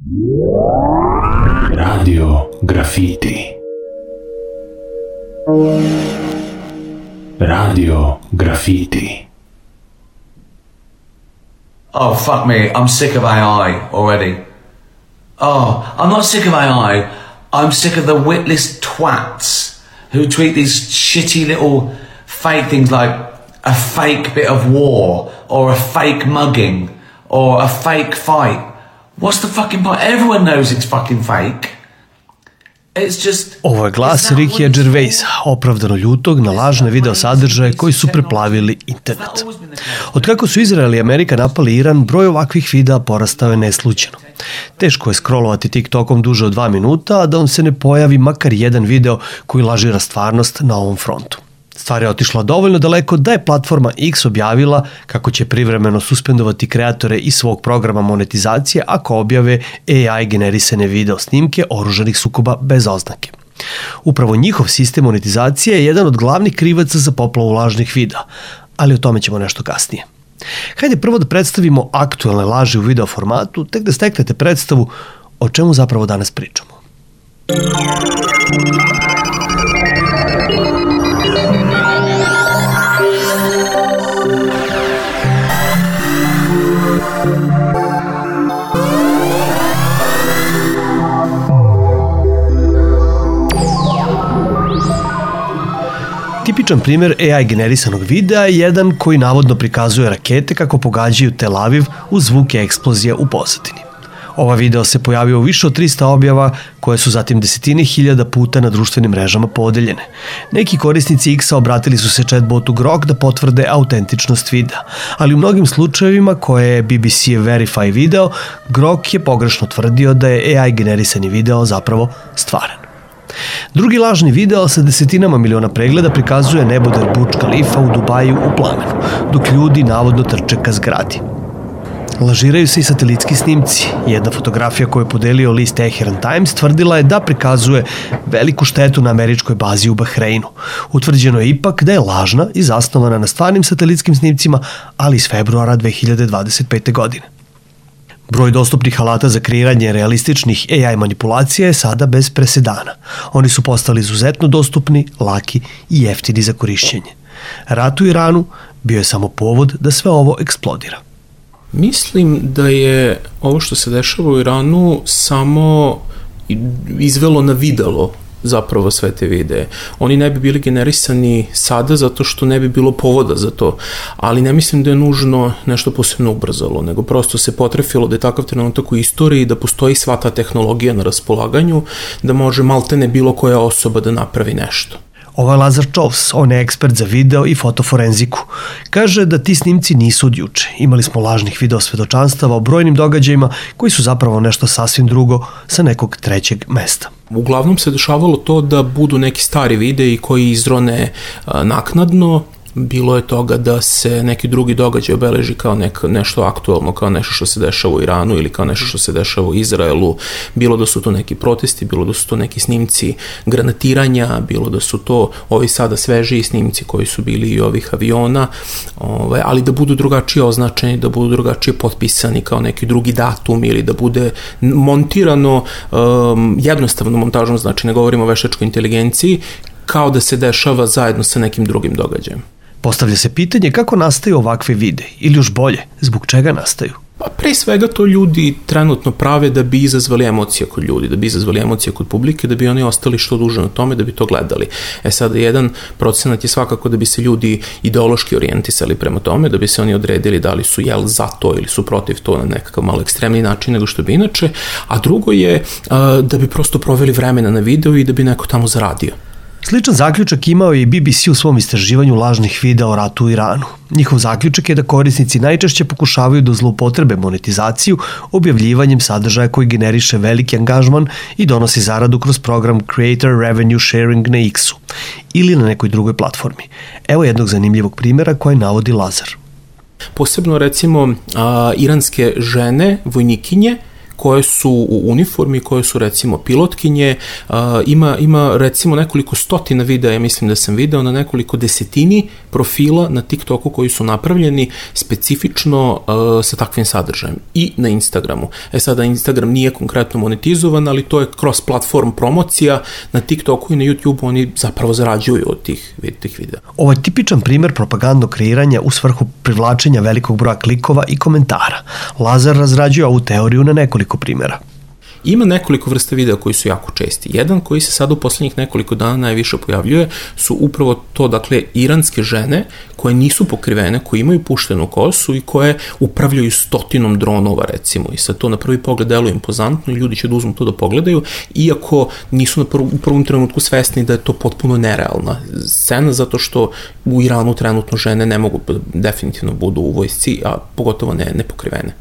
Radio Graffiti. Radio Graffiti. Oh, fuck me, I'm sick of AI already. Oh, I'm not sick of AI, I'm sick of the witless twats who tweet these shitty little fake things like a fake bit of war, or a fake mugging, or a fake fight. What's the fucking point? Everyone knows it's fucking fake. It's just... Ovo je glas Rickya Gervaisa, opravdano ljutog na lažne video sadržaje koji su preplavili internet. Od kako su Izrael i Amerika napali Iran, broj ovakvih videa porastao je neslućeno. Teško je scrollovati TikTokom duže od 2 minuta, a da vam se ne pojavi makar jedan video koji lažira stvarnost na ovom frontu. Stvar je otišla dovoljno daleko da je platforma X objavila kako će privremeno suspendovati kreatore iz svog programa monetizacije ako objave AI generisane video snimke oružanih sukoba bez oznake. Upravo njihov sistem monetizacije je jedan od glavnih krivaca za poplavu lažnih videa, ali o tome ćemo nešto kasnije. Hajde prvo da predstavimo aktuelne laži u video formatu, tek da steknete predstavu o čemu zapravo danas pričamo. Tipičan primjer AI generisanog videa je jedan koji navodno prikazuje rakete kako pogađaju Tel Aviv uz zvuke eksplozije u pozadini. Ova video se pojavio u više od 300 objava koje su zatim desetine hiljada puta na društvenim mrežama podeljene. Neki korisnici X-a obratili su se chatbotu Grok da potvrde autentičnost videa, ali u mnogim slučajevima koje je BBC Verify video, Grok je pogrešno tvrdio da je AI generisani video zapravo stvaran. Drugi lažni video sa desetinama miliona pregleda prikazuje neboder Burj Khalifa u Dubaju u plamenu, dok ljudi navodno trče ka zgradi. Lažiraju se i satelitski snimci. Jedna fotografija koju je podelio list Tehran Times tvrdila je da prikazuje veliku štetu na američkoj bazi u Bahreinu. Utvrđeno je ipak da je lažna i zasnovana na stvarnim satelitskim snimcima, ali iz februara 2025. godine. Broj dostupnih alata za kreiranje realističnih AI manipulacija je sada bez presedana. Oni su postali izuzetno dostupni, laki i jeftini za korišćenje. Rat u Iranu bio je samo povod da sve ovo eksplodira. Mislim da je ovo što se dešava u Iranu samo izvelo na videlo zapravo sve te videe. Oni ne bi bili generisani sada zato što ne bi bilo povoda za to, ali ne mislim da je nužno nešto posebno ubrzalo, nego prosto se potrefilo da je takav trenutak u istoriji, da postoji sva ta tehnologija na raspolaganju, da može maltene bilo koja osoba da napravi nešto. Ovo je Lazar Čovs, on je ekspert za video i fotoforenziku. Kaže da ti snimci nisu od juče. Imali smo lažnih video svedočanstava o brojnim događajima koji su zapravo nešto sasvim drugo sa nekog trećeg mesta. Uglavnom se dešavalo to da budu neki stari videi koji izrone naknadno. Bilo je toga da se neki drugi događaj obeleži kao nešto aktualno, kao nešto što se dešava u Iranu ili kao nešto što se dešava u Izraelu. Bilo da su to neki protesti, bilo da su to neki snimci granatiranja, bilo da su to ovi sada svežiji snimci koji su bili i ovih aviona, ali da budu drugačije označeni, da budu drugačije potpisani kao neki drugi datum ili da bude montirano jednostavno montažom, znači ne govorimo o veštačkoj inteligenciji, kao da se dešava zajedno sa nekim drugim događajem. Postavlja se pitanje kako nastaju ovakve videi, ili još bolje, zbog čega nastaju? Pa pre svega to ljudi trenutno prave da bi izazvali emocije kod ljudi, da bi izazvali emocije kod publike, da bi oni ostali što duže na tome, da bi to gledali. Sada jedan procenat je svakako da bi se ljudi ideološki orijentisali prema tome, da bi se oni odredili da li su za to ili su protiv to na nekakav malo ekstremni način nego što bi inače, a drugo je da bi prosto proveli vremena na videu i da bi neko tamo zaradio. Sličan zaključak imao je i BBC u svom istraživanju lažnih videa o ratu u Iranu. Njihov zaključak je da korisnici najčešće pokušavaju da zloupotrebe monetizaciju objavljivanjem sadržaja koji generiše veliki angažman i donosi zaradu kroz program Creator Revenue Sharing na X-u ili na nekoj drugoj platformi. Evo jednog zanimljivog primjera koji navodi Lazar. Posebno recimo iranske žene, vojnikinje, koje su u uniformi, koje su recimo pilotkinje, ima recimo nekoliko stotina videa, ja mislim da sam video na nekoliko desetini profila na TikToku koji su napravljeni specifično sa takvim sadržajem i na Instagramu. Sada Instagram nije konkretno monetizovan, ali to je cross-platform promocija, na TikToku i na YouTubeu oni zapravo zarađuju od tih videa. Ovo je tipičan primer propagandnog kreiranja u svrhu privlačenja velikog broja klikova i komentara. Lazar razrađuje ovu teoriju na nekoliko primjera. Ima nekoliko vrsta videa koji su jako česti. Jedan koji se sad u poslednjih nekoliko dana najviše pojavljuje su upravo to, dakle, iranske žene koje nisu pokrivene, koje imaju puštenu kosu i koje upravljaju 100 dronova, recimo. I sad to na prvi pogled deluje impozantno i ljudi će da uzmu to da pogledaju, iako nisu u prvom trenutku svesni da je to potpuno nerealna scena, zato što u Iranu trenutno žene ne mogu definitivno budu u vojsci, a pogotovo ne pokrivene.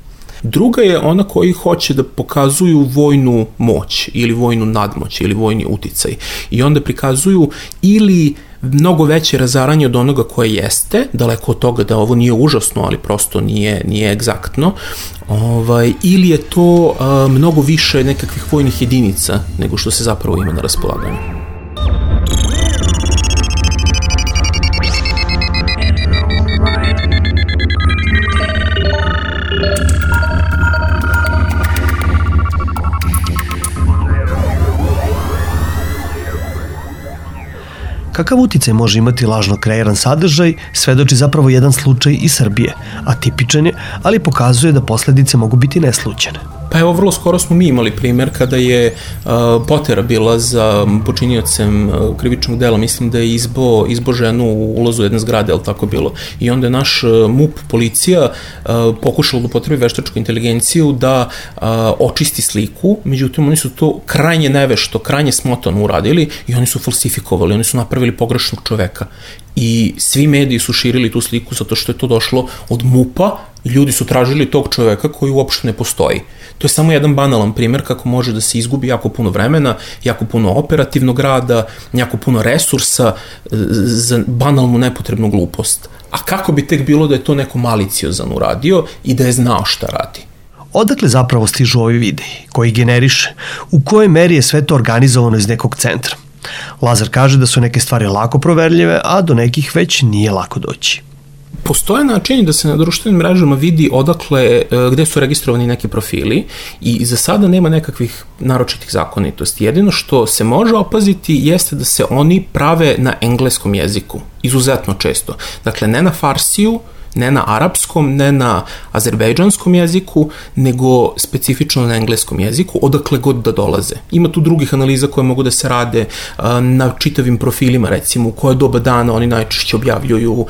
Druga je ona koji hoće da pokazuju vojnu moć ili vojnu nadmoć ili vojni uticaj i onda prikazuju ili mnogo veće razaranje od onoga koje jeste, daleko od toga da ovo nije užasno, ali prosto nije egzaktno, ili je to mnogo više nekakvih vojnih jedinica nego što se zapravo ima na raspolaganju. Kakav uticaj može imati lažno kreiran sadržaj, svedoči zapravo jedan slučaj iz Srbije, a tipičan je, ali pokazuje da posledice mogu biti neslućene. Pa evo, vrlo skoro smo mi imali primjer kada je potera bila za počiniocem krivičnog dela, mislim da je izbo ženu u ulazu jedne zgrade, ali tako bilo. I onda je naš MUP, policija, pokušala da upotrebi veštačku inteligenciju da očisti sliku, međutim oni su to krajnje nevešto, krajnje smotano uradili i oni su falsifikovali, oni su napravili pogrešnog čoveka. I svi mediji su širili tu sliku zato što je to došlo od MUP-a i ljudi su tražili tog čoveka koji uopšte ne postoji. To je samo jedan banalan primjer kako može da se izgubi jako puno vremena, jako puno operativnog rada, jako puno resursa za banalnu nepotrebnu glupost. A kako bi tek bilo da je to neko maliciozan uradio i da je znao šta radi? Odakle zapravo stižu ovi videi, koji generiše, u kojoj meri je sve to organizovano iz nekog centra? Lazar kaže da su neke stvari lako proverljive, a do nekih već nije lako doći. Postoje načini da se na društvenim mrežama vidi odakle, gde su registrovani neki profili i za sada nema nekakvih naročitih zakonitosti. Jedino što se može opaziti jeste da se oni prave na engleskom jeziku, izuzetno često. Dakle, ne na farsiju, ne na arapskom, ne na azerbejdžanskom jeziku, nego specifično na engleskom jeziku, odakle god da dolaze. Ima tu drugih analiza koje mogu da se rade na čitavim profilima, recimo u koje doba dana oni najčešće objavljuju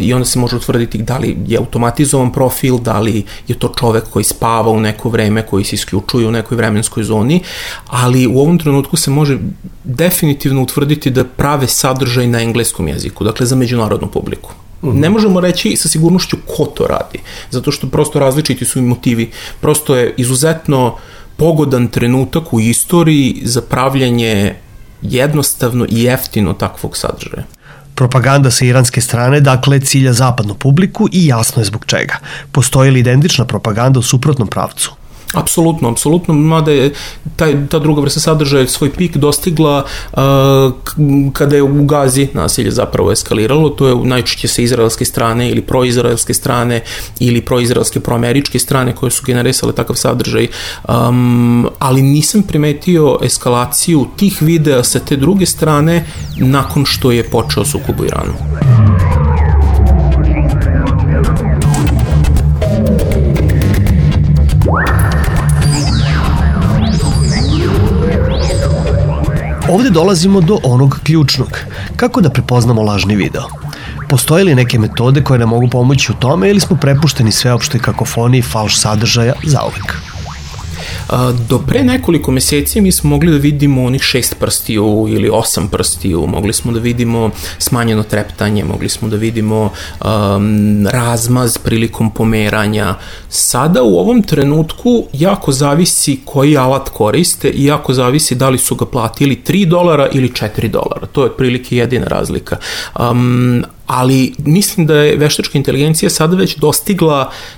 i onda se može utvrditi da li je automatizovan profil, da li je to čovek koji spava u neko vreme, koji se isključuje u nekoj vremenskoj zoni, ali u ovom trenutku se može definitivno utvrditi da prave sadržaj na engleskom jeziku, dakle za međunarodnu publiku. Ne možemo reći sa sigurnošću ko to radi, zato što prosto različiti su i motivi. Prosto je izuzetno pogodan trenutak u istoriji za pravljanje jednostavno i jeftino takvog sadržaja. Propaganda sa iranske strane, dakle, cilja zapadnu publiku i jasno je zbog čega. Postoji li identična propaganda u suprotnom pravcu? Apsolutno, mada je ta druga vrsta sadržaja svoj pik dostigla kada je u Gazi nasilje zapravo eskaliralo, to je najčešće sa izraelske strane ili proizraelske strane ili proizraelske proameričke strane koje su generisale takav sadržaj, ali nisam primetio eskalaciju tih videa sa te druge strane nakon što je počeo sukob u Iranu. Ovde dolazimo do onog ključnog. Kako da prepoznamo lažni video? Postoje li neke metode koje nam mogu pomoći u tome ili smo prepušteni sveopštoj kakofoniji falš sadržaja zauvek? Do pre nekoliko meseci mi smo mogli da vidimo onih 6 prstiju ili 8 prstiju, mogli smo da vidimo smanjeno treptanje, mogli smo da vidimo razmaz prilikom pomeranja. Sada u ovom trenutku jako zavisi koji alat koriste i jako zavisi da li su ga platili $3 ili $4. To je otprilike jedina razlika. ali mislim da je veštačka inteligencija sada već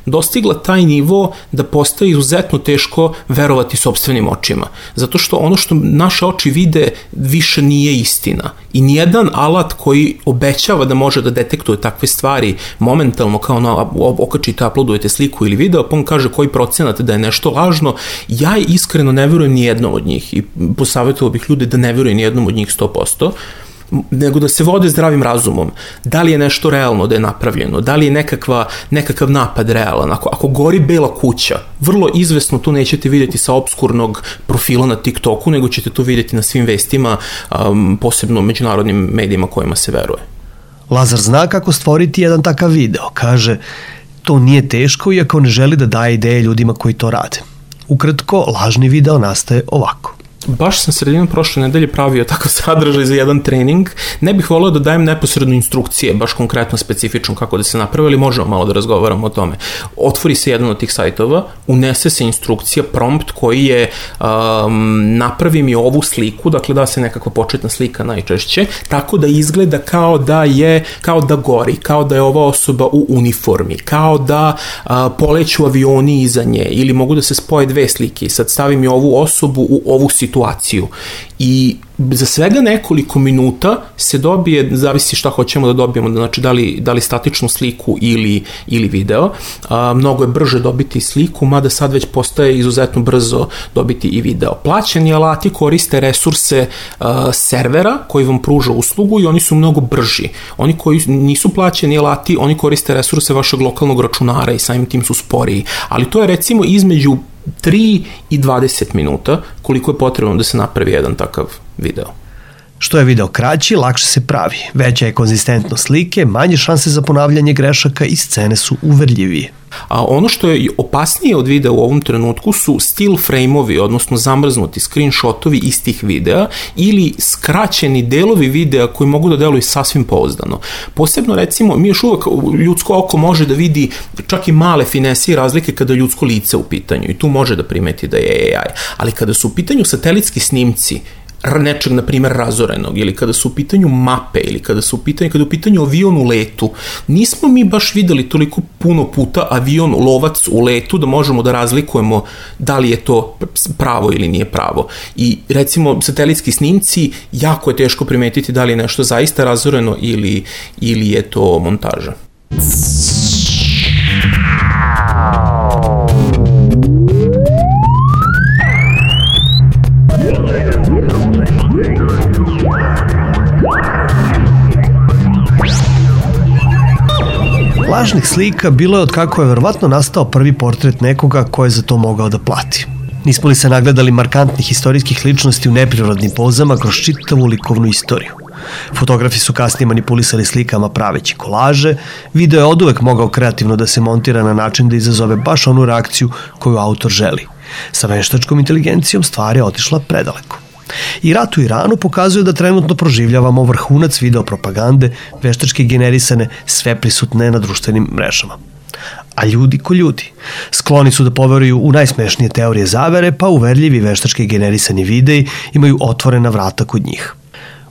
dostigla taj nivo da postaje izuzetno teško verovati sopstvenim očima. Zato što ono što naše oči vide više nije istina. I nijedan alat koji obećava da može da detektuje takve stvari momentalno, kao okačite, uploadujete sliku ili video, pa on kaže koji procenat da je nešto lažno, ja iskreno ne verujem ni jednom od njih i posavjetovao bih ljude da ne verujem ni jednom od njih 100%, nego da se vode zdravim razumom. Da li je nešto realno da je napravljeno, da li je nekakav napad realan. Ako gori bela kuća, vrlo izvesno to nećete vidjeti sa obskurnog profila na TikToku, nego ćete to vidjeti na svim vestima, posebno međunarodnim medijima kojima se veruje. Lazar zna kako stvoriti jedan takav video. Kaže, to nije teško iako ne želi da daje ideje ljudima koji to rade. Ukratko, lažni video nastaje ovako. Baš sam sredinom prošle nedelje pravio takav sadržaj za jedan trening. Ne bih voleo da dajem neposredno instrukcije, baš konkretno specifično kako da se napravi, ali možemo malo da razgovaramo o tome. Otvori se jedan od tih sajtova, unese se instrukcija, prompt koji je napravi mi ovu sliku, dakle da se nekakva početna slika najčešće, tako da izgleda kao da gori, kao da je ova osoba u uniformi, kao da poleću avioni iza nje, ili mogu da se spoje dve slike i sad stavim mi ovu osobu u ovu situaciju. I za svega nekoliko minuta se dobije, zavisi šta hoćemo da dobijemo, znači da li statičnu sliku ili video. Mnogo je brže dobiti sliku, mada sad već postaje izuzetno brzo dobiti i video. Plaćeni alati koriste resurse servera koji vam pruža uslugu i oni su mnogo brži. Oni koji nisu plaćeni alati, oni koriste resurse vašeg lokalnog računara i samim tim su sporiji. Ali to je recimo između 3 i 20 minuta koliko je potrebno da se napravi jedan takav video. Što je video kraći, lakše se pravi. Veća je konzistentnost slike, manje šanse za ponavljanje grešaka i scene su uverljivije. A ono što je opasnije od videa u ovom trenutku su still frame-ovi, odnosno zamrznuti screenshotovi istih videa ili skraćeni delovi videa koji mogu da deluju sasvim pouzdano. Posebno recimo, mi još uvek ljudsko oko može da vidi čak i male finese i razlike kada je ljudsko lice u pitanju i tu može da primeti da je AI. Ali kada su u pitanju satelitski snimci nečeg, na primjer, razorenog, ili kada su u pitanju mape, ili kada je u pitanju avion u letu, nismo mi baš videli toliko puno puta avion lovac u letu da možemo da razlikujemo da li je to pravo ili nije pravo. I recimo satelitski snimci, jako je teško primetiti da li je nešto zaista razoreno ili je to montaža. Lažnih slika bilo je od kako je verovatno nastao prvi portret nekoga ko je za to mogao da plati. Nismo li se nagledali markantnih istorijskih ličnosti u neprirodnim pozama kroz čitavu likovnu istoriju? Fotografi su kasnije manipulisali slikama praveći kolaže, video je oduvek mogao kreativno da se montira na način da izazove baš onu reakciju koju autor želi. Sa veštačkom inteligencijom stvar je otišla predaleko. I rat u Iranu pokazuje da trenutno proživljavamo vrhunac video propagande, veštački generisane, sve prisutne na društvenim mrežama. A ljudi ko ljudi. Skloni su da poveruju u najsmešnije teorije zavere, pa uverljivi veštački generisani videi imaju otvorena vrata kod njih.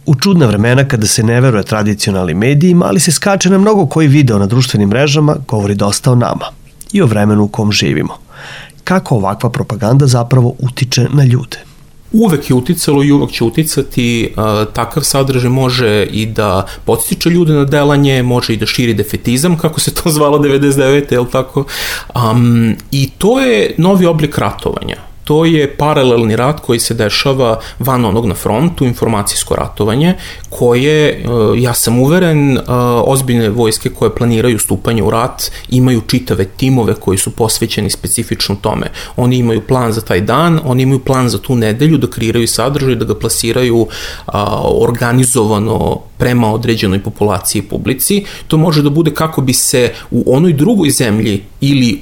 U čudna vremena kada se ne veruje tradicionalnim medijima, ali se skače na mnogo koji video na društvenim mrežama, govori dosta o nama i o vremenu u kom živimo. Kako ovakva propaganda zapravo utiče na ljude? Uvek je uticalo i uvek će uticati, takav sadržaj može i da podstiče ljude na delanje, može i da širi defetizam, kako se to zvalo 99. jel tako? I to je novi oblik ratovanja. To je paralelni rat koji se dešava van onog na frontu, informacijsko ratovanje, koje, ja sam uveren, ozbiljne vojske koje planiraju stupanje u rat imaju čitave timove koji su posvećeni specifično tome. Oni imaju plan za taj dan, oni imaju plan za tu nedelju da kreiraju sadržaj, da ga plasiraju organizovano prema određenoj populaciji i publici. To može da bude kako bi se u onoj drugoj zemlji ili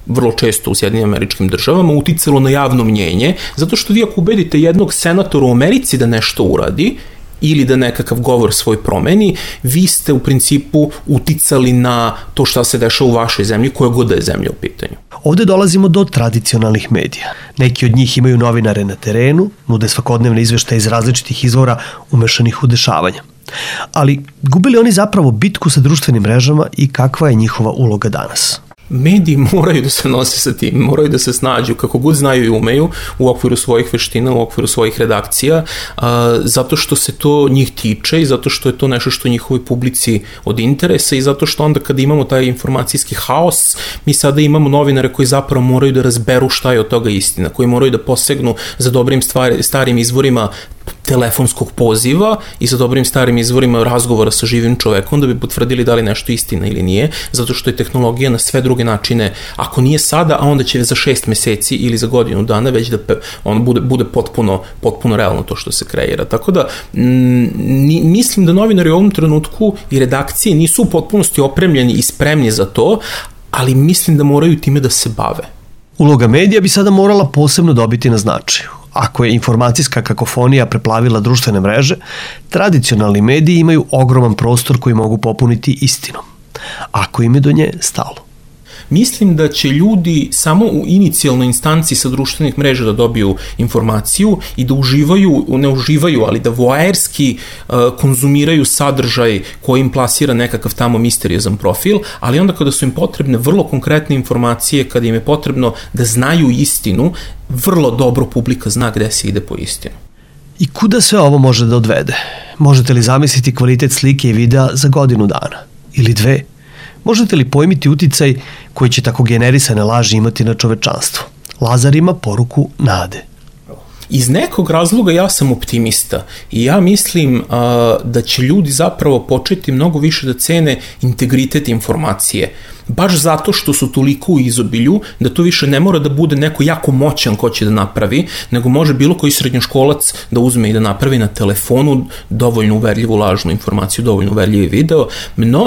vrlo često u Sjedinim Američkim Državama uticalo na javno mnjenje, zato što vi ako ubedite jednog senatora u Americi da nešto uradi ili da nekakav govor svoj promeni, vi ste u principu uticali na to šta se dešava u vašoj zemlji, koja god da je zemlja u pitanju. Ovde dolazimo do tradicionalnih medija. Neki od njih imaju novinare na terenu, nude svakodnevne izveštaje iz različitih izvora umešanih u dešavanja. Ali gube li oni zapravo bitku sa društvenim mrežama i kakva je njihova uloga danas? Mediji moraju da se nose sa tim, moraju da se snađu kako god znaju i umeju u okviru svojih veština, u okviru svojih redakcija, zato što se to njih tiče i zato što je to nešto što njihovoj publici od interesa i zato što onda kada imamo taj informacijski haos, mi sada imamo novinare koji zapravo moraju da razberu šta je od toga istina, koji moraju da posegnu za dobrim starim izvorima telefonskog poziva i sa dobrim starim izvorima razgovora sa živim čovekom da bi potvrdili da li nešto istina ili nije, zato što je tehnologija na sve druge načine, ako nije sada, a onda će za 6 meseci ili za godinu dana već da on bude potpuno realno to što se kreira. Tako da mislim da novinari u ovom trenutku i redakcije nisu u potpunosti opremljeni i spremni za to, ali mislim da moraju time da se bave. Uloga medija bi sada morala posebno dobiti na značaju. Ako je informacijska kakofonija preplavila društvene mreže, tradicionalni mediji imaju ogroman prostor koji mogu popuniti istinom, ako im je do nje stalo. Mislim da će ljudi samo u inicijalnoj instanci sa društvenih mreža da dobiju informaciju i da ne uživaju, ali da voajerski konzumiraju sadržaj koji im plasira nekakav tamo misteriozan profil, ali onda kada su im potrebne vrlo konkretne informacije, kada im je potrebno da znaju istinu, vrlo dobro publika zna gde se ide po istinu. I kuda sve ovo može da odvede? Možete li zamisliti kvalitet slike i videa za godinu dana? Ili 2? Možete li pojmiti uticaj koji će tako generisane laži imati na čovečanstvo? Lazar ima poruku nade. Iz nekog razloga ja sam optimista i ja mislim da će ljudi zapravo početi mnogo više da cene integritet informacije. Baš zato što su toliko u izobilju da to više ne mora da bude neko jako moćan ko će da napravi, nego može bilo koji srednjoškolac da uzme i da napravi na telefonu dovoljno uverljivu lažnu informaciju, dovoljno uverljivi video.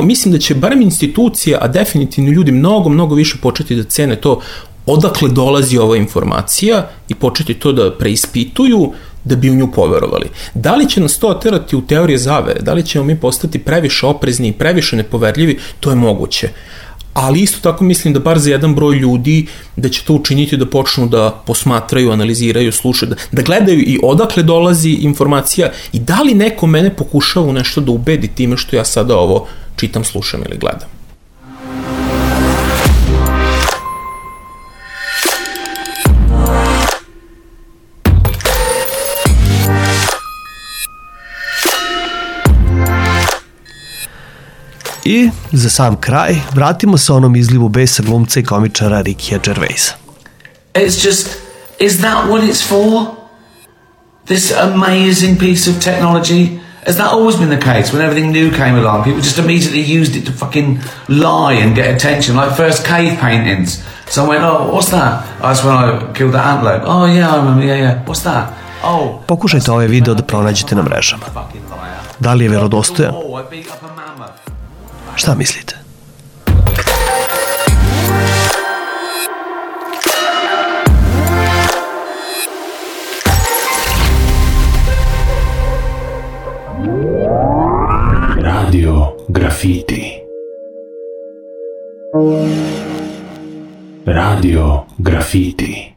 Mislim da će barem institucije, a definitivno ljudi mnogo više početi da cene to odakle dolazi ova informacija i početi to da preispituju da bi u nju poverovali. Da li će nas to oterati u teorije zavere, da li ćemo mi postati previše oprezni i previše nepoverljivi, to je moguće. Ali isto tako mislim da bar za jedan broj ljudi da će to učiniti da počnu da posmatraju, analiziraju, slušaju, da gledaju i odakle dolazi informacija i da li neko mene pokušava u nešto da ubedi time što ja sada ovo čitam, slušam ili gledam. I za sam kraj, vratimo se onom izlivu besa glumca i komičara Rickya Gervaisa. Is that what it's for? This amazing piece of technology? Has that always been the case? When everything new came along, people just immediately used it to fucking lie and get attention, like first cave paintings. Someone went, oh, what's that? Oh, that's when I killed that antelope. Oh, yeah, I remember, yeah. What's that? Oh. Pokušajte ovaj video da pronađete na mrežama. Da li je verodostojan? Šta mislite? Radio Graffiti. Radio Graffiti.